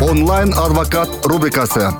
Онлайн адвокат рубрикасы.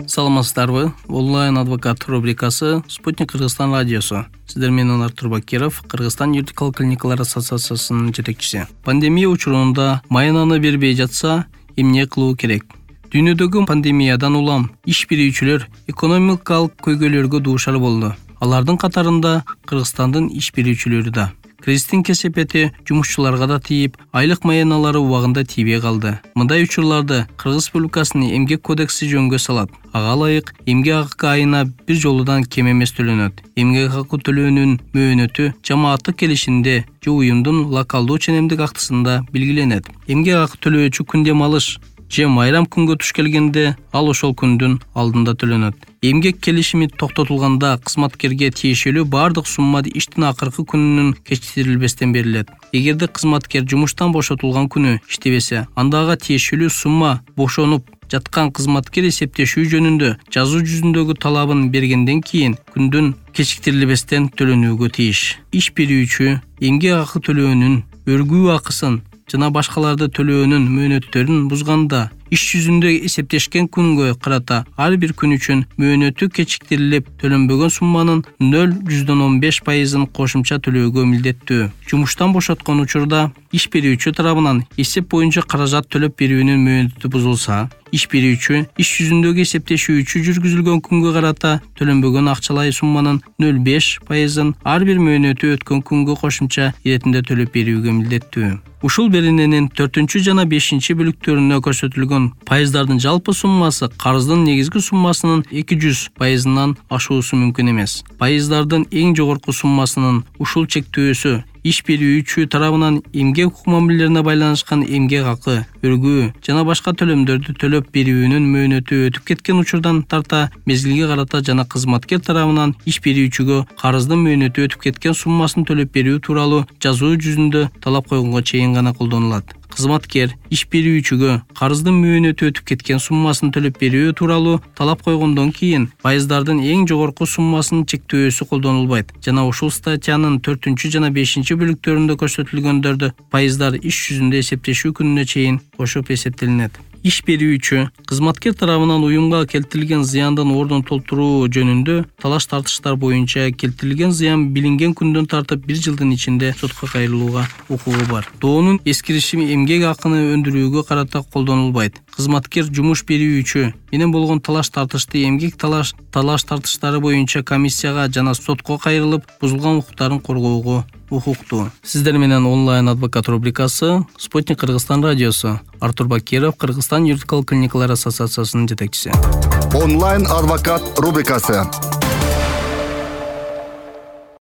Саламатсыздарбы? Онлайн адвокат рубрикасы Спутник Кыргызстан радиосу. Сиздер менен Артур Бакиров, Кыргызстан юридикалык клиникалар ассоциациясынын жетекчиси. Пандемия учурунда майнаны бербей жатса, эмне кылуу керек? Дүйнөдөгү пандемиядан улам иш берүүчүлөр экономикалык көйгөйлөргө дуушар болду. Алардын катарында Кыргызстандын иш берүүчүлөрү да. Кризистин кесепети жумушчуларга да тийип, айлык майяналары убагында тийбей калды. Мындай учурларды Кыргыз Республикасынын эмгек кодекси жөнгө салат. Ага ылайык эмгек акы айына бир жолудан кем эмес төлөнөт. Эмгек акы төлөөнүн мөөнөтү жамааттык келишимде же уюмдун локалдуу ченемдик актысында белгиленет. Эмгек акы төлөөчү күн дем алыш же майрам күнгө туш келгенде ал ошол күндүн алдында төлөнөт. Эмгек келишими токтотулганда кызматкерге тиешелүү бардык сумма иштин акыркы күнүнүн кечиктирилбестен берилет. Эгерде кызматкер жумуштан бошотулган күнү иштебесе, анда ага тиешелүү сумма бошонуп жаткан кызматкер эсептешүү жөнүндө жазуу жүзүндөгү талабын бергенден кийин күндүн кечиктирилбестен төлөнүүгө тийиш. Иш берүүчү эмгек акы төлөөнүн өргүү акысын жана башкаларды төлөөнүн мөөнөттөрүн бузганда иш жүзүндө эсептешкен күнгө карата ар бир күн үчүн мөөнөтү кечиктирилип төлөнбөгөн сумманын 0,15%-ын кошумча төлөөгө милдеттүү. Жумуштан бошоткон учурда иш берүүчү тарабынан эсеп боюнча каражат төлөп берүүнүн мөөнөтү бузулса, иш берүүчү иш жүзүндөгү эсептешүүчү жүргүзүлгөн күнгө карата төлөнбөгөн акчалай сумманын 0,5%-ын ар бир мөөнөтү өткөн күнгө кошумча иретинде төлөп берүүгө милдеттүү. Ушул берененин 4 жана 5 бөлүктөрүнө көрсөтүлгөн пайыздардын жалпы суммасы карыздын негизги суммасынын 200%-ынан ашуусу мүмкүн эмес. Пайыздардын эң жогорку суммасынын ушул чектөөсү иш берүүчү тарабынан эмгек укук мамилелерине байланышкан эмгек акы, өргүү жана башка төлөмдөрдү төлөп берүүнүн мөөнөтү өтүп кеткен учурдан тарта мезгилге карата жана кызматкер тарабынан иш берүүчүгө карыздын мөөнөтү өтүп кеткен суммасын төлөп берүү тууралуу жазуу жүзүндө талап койгонго чейин гана колдонулат. Кызматкер иш берүүчүгө карыздын мөөнөтү өтүп кеткен суммасын төлөп берүү тууралуу талап койгондон кийин пайыздардын эң жогорку суммасынын чектөөсү колдонулбайт жана ушул статьянын 4 жана 5 бөлүктөрүндө көрсөтүлгөндөрдү пайыздар иш жүзүндө эсептешүү күнүнө чейин кошуп эсептелинет. Иш берүүчү кызматкер тарабынан уюмга келтирилген зыяндын ордун толтуруу жөнүндө талаш-тартыштар боюнча келтирилген зыян билинген күндөн тартып 1 жылдын ичинде сотко кайрылууга укугу бар. Доонун эскиришими эмгек акыны өндүрүүгө карата колдонулбайт. Кызматкер жумуш берүүчү менен болгон талаш-тартышты эмгек талаш-тартыштары боюнча комиссияга жана сотко кайрылып, бузулган укуктарын коргоого укуктуу. Сиздер менен онлайн адвокат рубрикасы Спутник Кыргызстан радиосу. Артур Бакиров, Кыргызстан юридикалык клиникалар ассоциациясынын жетекчиси. Онлайн адвокат рубрикасы.